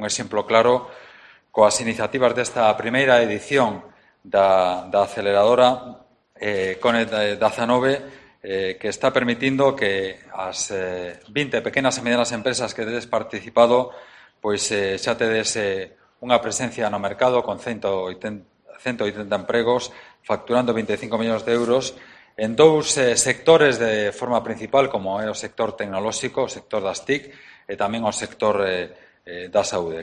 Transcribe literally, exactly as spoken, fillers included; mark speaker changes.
Speaker 1: Un exemplo claro coas iniciativas desta primeira edición da, da aceleradora eh, Connect dezanove eh, que está permitindo que as eh, vinte pequenas e medianas empresas que tedes participado pois eh, xa tedes eh, unha presencia no mercado con cento oitenta empregos, facturando vinte e cinco millóns de euros en dous eh, sectores de forma principal, como é o sector tecnolóxico, o sector das T I C, e tamén o sector eh, eh, da saúde.